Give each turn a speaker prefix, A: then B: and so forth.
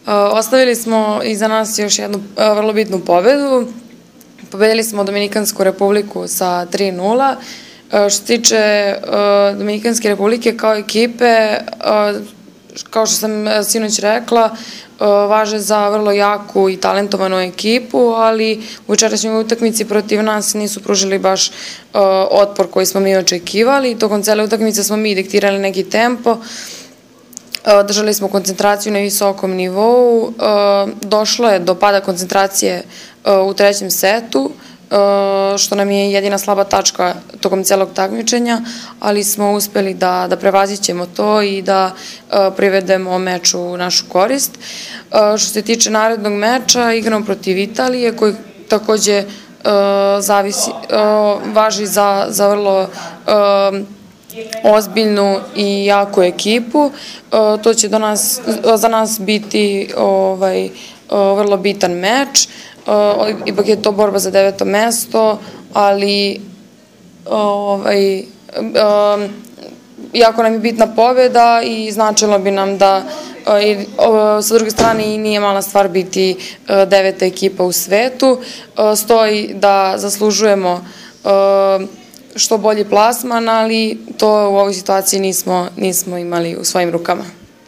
A: Ostavili smo iza nas još jednu vrlo bitnu pobedu. Pobedili smo Dominikansku republiku sa 3:0. Što se tiče Dominikanske republike kao ekipe, kao što sam sinoć rekla, važe za vrlo jaku i talentovanu ekipu, ali u večerašnjoj utakmici protiv nas nisu pružili baš otpor koji smo mi očekivali. Tokom cele utakmice smo mi diktirali neki tempo, držali smo koncentraciju na visokom nivou, došlo je do pada koncentracije u trećem setu, što nam je jedina slaba tačka tokom celog takmičenja, ali smo uspeli da prevazićemo to i da privedemo meč u našu korist. Što se tiče narednog meča, igramo protiv Italije, koji takođe važi za vrlo ozbiljnu i jaku ekipu. To će za nas biti vrlo bitan meč. Ipak je to borba za 9. mesto, ali jako nam je bitna pobjeda i značilo bi nam da sa druge strane i nije mala stvar biti 9. ekipa u svetu. Stoji da zaslužujemo što bolji plasman, ali to u ovoj situaciji nismo imali u svojim rukama.